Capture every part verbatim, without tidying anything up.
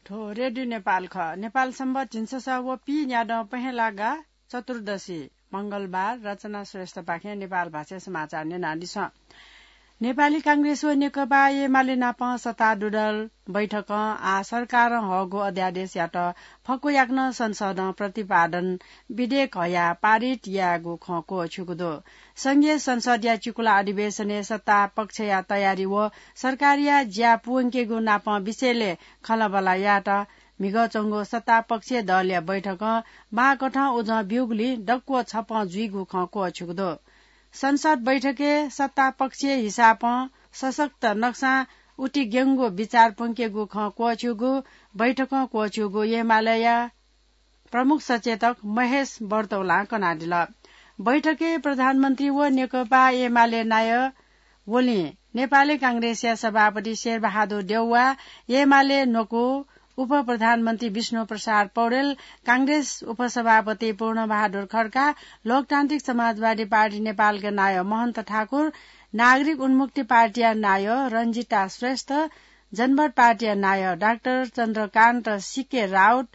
थ्व रेडियो नेपाल खः। नेपाल सम्बत झिंछसः व पीन्यादँ पहेँलागा चतुर्दशी, मंगलबार। रचना श्रेष्ठपाखें नेपाल भाषाय् समाचार न्यनादिसँ। नेपाली कांग्रेस व नेकपा एमाले नाप सत्ता दुदल बैठकं आः सरकारं हःगु अध्यादेश यात। फक्व याकनं संसदं प्रतिपादन विधेयक हयाः पारित यायेगु खँ क्वःछ्यूगु दु। संघीय संसदया चिकुला अधिवेशनय् सत्ता पक्षया तयारी व सरकारया ज्या पूवंकेगु नाप विषयलय् खँल्हाबल्हा यायेत म्हिगः च्वंगु सत्ता पक्षीय दलया बैठकं माःकथं उजं ब्यूगुलिं दक्व छपं जुइगु खँ क्वःछ्यूगु दु। संसद बैठकय् सत्ता पक्षीय हिसाबं सशक्त नक्सां उतिग्यंगु बिचाः प्वंकेगु खँ क्वःछ्यूगु बैठकं क्वःछ्यूगु एमालेया प्रमुख सचेतक महेश बर्तौलां कनादिल। बैठकय् प्रधानमन्त्री व नेकपा एमाले नायः वलिं नेपाली कांग्रेसया सभापति शेरबहादुर देउवा, एमाले न्वकू उपप्रधानमन्त्री विष्णु प्रसाद पौडेल, कांग्रेस उपसभापति पूर्णबहादुर खड्का, लोकतान्त्रिक समाजवादी पार्टी नेपालका नायः महन्त ठाकुर, नागरिक उन्मुक्ति पार्टीया नायः रञ्जिता श्रेष्ठ, जनमत पार्टीया नायः डाक्टर चन्द्रकान्त सिके राउत,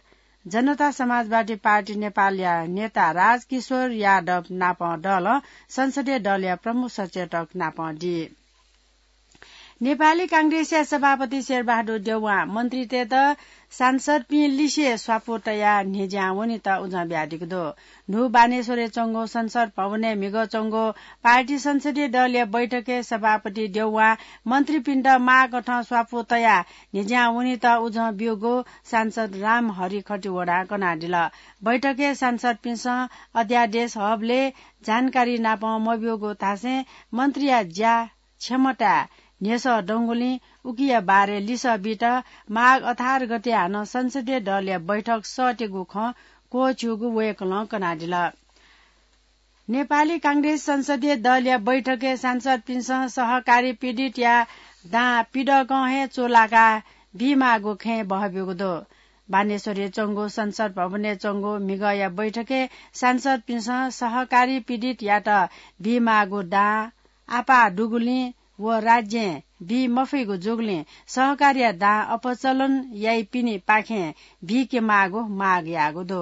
जनता समाजवादी पार्टी नेपालया नेता राजकिशोर यादव नाप दलं संसदीय दलया प्रमुख सचेतक नाप दी। नेपाली कांग्रेसया सभापति शेरबहादुर देउवां मन्त्रीतय्त सांसदपिं लिसे स्वापू तयाः न्ह्यज्यां वनेत उजं बियादीगु दु। न्हू बानेश्वरय् च्वंगु संसद भवनय् म्हिगः च्वंगु पार्टी संसदीय दलया बैठकय् सभापति देउवां मन्त्रीपिन्त माःकथं स्वापू तयाः न्ह्यज्यां वनेत उजं ब्यूगु सांसद रामहरि खतिवडां कनादिल। बैठकय् सांसदपिन्सं अध्यादेश हःबलय् जानकारी नाप मब्यूगु धासें मन्त्रीया ज्या क्षमता न्ह्यसः दंगुलिं उकिया बारे लिसः बीत माघ अठार गते हानं संसदीय दलया बैठक सःतेगु खँ क्वःछ्यूगु वय्कलं कनादिल। नेपाली कांग्रेस संसदीय दलया बैठकय् सांसदपिन्सं सहकारी पीडितया दां पिदकं हे चूलाका बीमाःगु खँय् बहब्यूगु दु। बानेश्वरय् च्वंगु संसद भवनय् च्वंगु म्हिगःया बैठकय् सांसदपिन्सं सहकारी पीडितयात बीमाःगु दां आपाः दुगुलिं व राज्यं बी मफइगु जूगुलिं सहकारीया दां अपचलन याइपिनिपाखें बीके माःगु माग याःगु दु।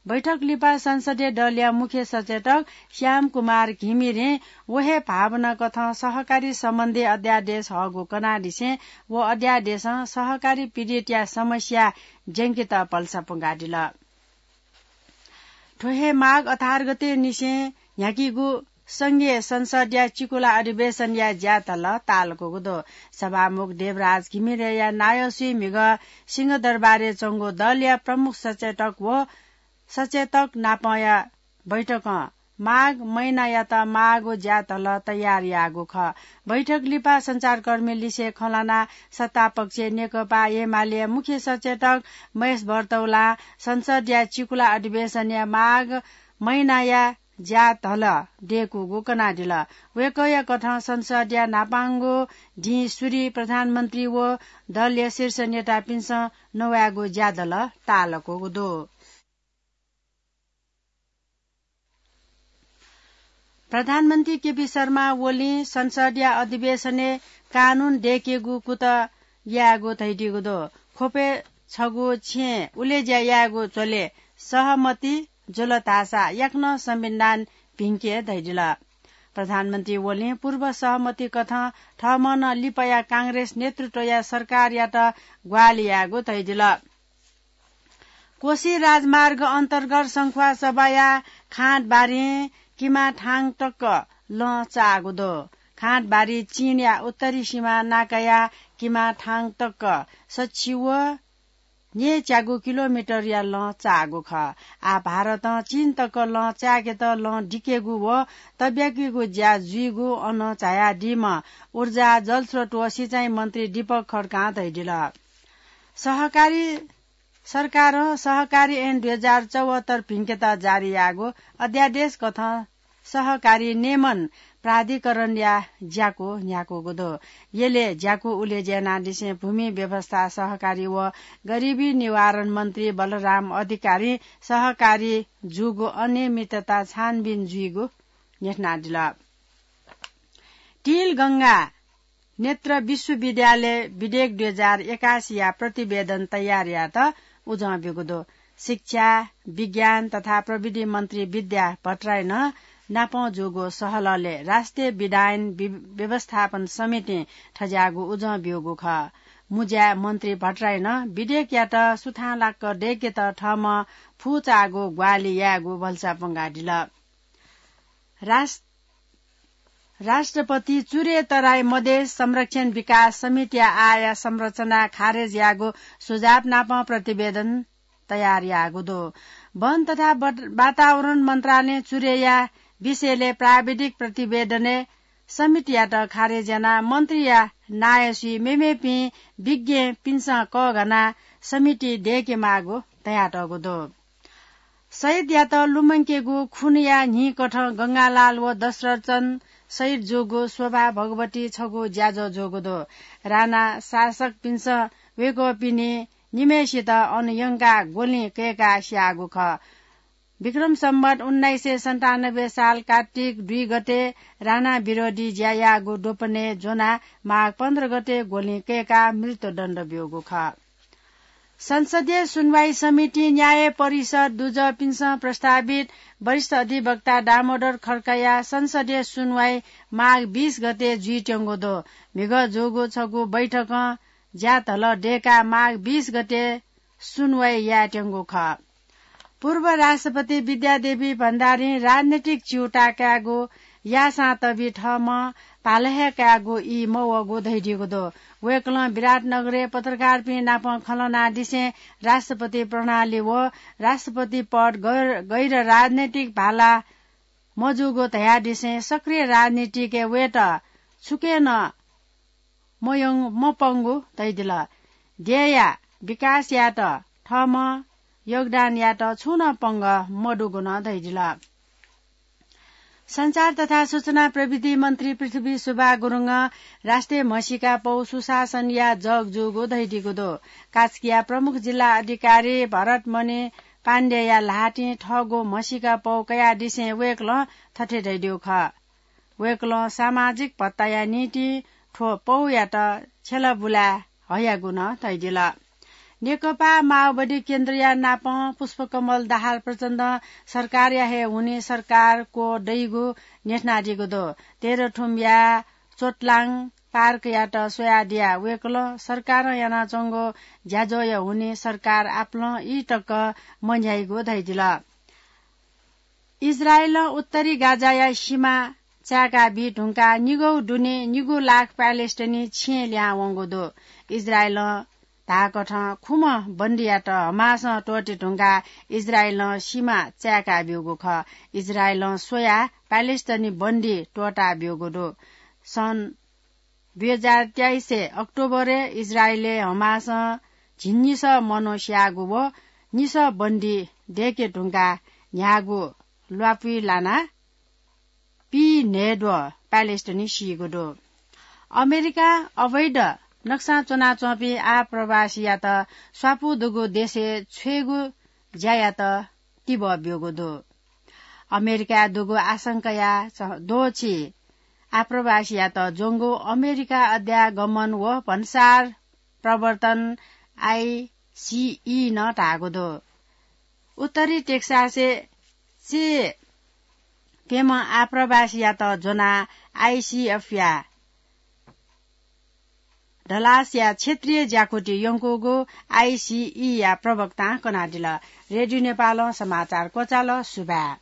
बैठक लिपा संसदीय दलया मुख्य सचेतक श्याम कुमार घिमिरें व हे भावना कथं सहकारी सम्बन्धी अध्यादेश हःगु कनादिसें व अध्यादेशं सहकारी पीडितया समस्या ज्यंकेत भलसा पुंकादिल। थ्व हे माघ अठार गते निसें न्ह्याकीगु संघीय संसदया चिकुला अधिवेशनया ज्याधल तालकूगु दु। सभामुख देवराज घिमिरेया नायःसुइ म्हिगः सिंहदरबारय् च्वंगु दलया प्रमुख सचेतक व सचेतक नापंया बैठकं माघ महिनायात माःगु ज्याधल तयार याःगु खः। बैठक लिपा सञ्चारकर्मी लिसे खँ ल्हानाः सत्तापक्ष नेकपा एमालेया मुख्य सचेतक महेश बर्तौलां संसदया चिकुला अधिवेशनया माघ महिनाया ज्याधल दय्कूगु कनादिल। वय्कःया कथं संसदया न्हापांगु दिं सुरि प्रधानमन्त्री व दलया शीर्ष नेतापिन्सं नवायेगु ज्याधल तालकूगु दु। प्रधानमन्त्री केपी शर्मा ओलीं संसदया अधिवेशनय् कानून दय्केगु कुतः यायेगु धयादीगु दु। ख्वपय् छगू छेँय् उलेज्या यायेगु झ्वलय् सहमति जुल धाःसा याकनं संविधान भिंके धयादिल। प्रधानमन्त्री ओलीं पूर्व सहमति कथं थःम्हं नं लिपाया कांग्रेस नेतृत्वया सरकारयात ग्वाहालि यायेगु धयादिल। कोशी राजमार्ग अन्तर्गत शंख्वासभाया खाँटबारीं किमाथाङ तक लँ चाःगु दु। खाँटबारी चीनया उत्तरी सीमा नाकाया किमाथाङ तक सछि व न्येच्यागू किलोमिटरया लँ चाःगु खः। आः भारतं चीन तक लँ चाय्केत लँ दिकेगु व तब्याकीगु ज्या जुइगु अन झायादीम्ह ऊर्जा, जलस्रोत व सिँचाइ मन्त्री दीपक खड्कां धयादिल। सहकारी सरकारं सहकारी ऐन दुई हजार चौहत्तर भिंकेत जारी याःगु अध्यादेश कथं सहकारी नियमन प्राधिकरणया ज्याकू न्ह्याकूगु दु। यलय् ज्याकू उलेज्या यानादिसें भूमि व्यवस्था, सहकारी व गरिबी निवारण मन्त्री बलराम अधिकारीं सहकारी जूगु अनियमितता छानबिन जुइगु न्ह्यथनादिल। तिलगंगा नेत्र विश्वविद्यालय विधेयक दुई हजार एकासीया प्रतिवेदन तयार यायेत उजं ब्यूगु दु। शिक्षा, विज्ञान तथा प्रविधि मन्त्री विद्या भट्टराईनं नापं जूगु सहलहलय् राष्ट्रिय विधायन वि-, व्यवस्थापन समितिं थज्याःगु उजं ब्यूगु खः। मुज्याय् मन्त्री भट्टराईनं विधेयकयात सुथांलाक्क दय्केत थःम्हं फुचाःगु ग्वाहालि यायेगु भलसा पंगादिल। राष-, राष्ट्रपति चुरे तराई मधेस संरक्षण विकास समितिया आःया संरचना खारेज याःगु सुझाव नापं प्रतिवेदन तयार याःगु दु। वन तथा बट-, वातावरण मन्त्रालयं चुरेया विषयलय् प्राविधिक प्रतिवेदनय् समितियात खारेज यानाः मन्त्रीया नायःसुइ मेमेपिं विज्ञपिन्सं कःघानाः समिति दय्केमाःगु धयातःगु दु। शहीदयात लुमंकेगु खुनया न्हिकथं गंगालाल व दशरथचन्द शहीद जूगु शोभा भगवती छगू ज्याझ्वः जूगु दु। राणा शासकपिन्सं वय्कःपिनि निम्हय्सित अन यंकाः ग्वलिं कय्काः स्याःगु खः। विक्रम सम्वत उन्नाइस सय सन्तानब्बे साल कार्तिक दुई गते राणा विरोधी ज्या याःगु द्वपनय् ज्वनाः माघ पन्ध्र गते ग्वलिं कय्काः मृत्युदण्ड ब्यूगु खः। संसदीय सुनवाई समितिं न्याय परिषद दुजःपिन्सं प्रस्तावित वरिष्ठ अधिवक्ता दामोदर खड्काया संसदीय सुनवाई माघ बीस गते जुइत्यंगु दु। म्हिगः जूगु छगू बैठकं ज्याधलः दय्काः माघ बीस गते सुनवाई यायेत्यंगु खः। पूर्व राष्ट्रपति विद्यादेवी भण्डारीं राजनीतिक च्यूताः कायेगु याःसां तबि थःम्हं भाला हे कायेगु ई मवःगु धयादीगु दु। वय्कलं विराटनगरय् पत्रकारपिं नाप खँ ल्हानादिसें राष्ट्रपति प्रणाली व राष्ट्रपति पद गैर, गैर राजनीतिक भाला मजूगु धयादिसें सक्रिय राजनीतिकय् वयेत छुकिं नं मयं-, मपंगु धयादिल। देय्या विकास यायेत थःम्हं योगदान यायेत छुं नं पंगः मदुगु नं धयादिल। सञ्चार तथा सूचना प्रविधि मन्त्री पृथ्वी सुब्बा गुरुङं राष्ट्रिय म्हसीका पौ सुशासनया जग जूगु धयादीगु दु। कास्कीया प्रमुख जिल्ला अधिकारी भरतमणि पाण्डेया ल्हातिं थःगु म्हसीका पौ कयादिसें वय्कलं थथे धयादीगु खः। वय्कलं सामाजिक भत्ताया निंतिं थ्व पौयात छ्यला बुलाय् हयागु नं धयादिल। नेकपा माओवादी केन्द्रया नापं पुष्पकमल दाहाल प्रचण्डं सरकारया हे हुनिं सरकार क्वः दइगु न्ह्यथनादीगु दु। तेह्रथुमया चोटलाङ पार्कयात स्वयादिया वय्कलं सरकारं यानाच्वंगु ज्याझ्वःया हुनिं सरकार आपालं ई तक मन्ह्याइगु धयादिल। इजरायलं उत्तरी गाजाया सीमा चाय्का बी धुंकाः निगौ दुने निगू लाख प्यालेस्टाइनी छेँ ल्याहां वंगु दु। इजरायलं धाःकथं खुम्ह बन्दीयात हमासं त्वःते धुंकाः इजरायलं सीमा चाय्का ब्यूगु खः। इजरायलं स्वयाः प्यालेस्टाइनी बन्दी त्वःता ब्यूगु दु। सन् दुई हजार तेइस अक्टोबरय् इजरायलय् हमासं झिंनिसः मनू स्याःगु व निसः बन्दी दय्के धुंकाः न्ह्याःगु ल्वापुइ लानाः पीन्हय्द्वः प्यालेस्टाइनी सीगु दु। अमेरिकां अवैध नक्सां च्वनाच्वंपिं आप्रवासीयात स्वापू दुगु देशय् छ्वयेगु ज्यायात तिबः ब्यूगु दु। अमेरिकाय् दुगु आशंकाया च-, द्वःछि आप्रवासीयात ज्वंगु अमेरिका अध्यागमन व भन्सार प्रवर्तन आइसिई नं धाःगु दु। उत्तरी टेक्सासय् चे प्यम्ह आप्रवासीयात ज्वनाः आइसिएफया डलासया क्षेत्रीय ज्याकुथि यंकूगु आइसिईया प्रवक्तां कनादिल। रेडियो नेपालं समाचार क्वचाल। सुभाय्।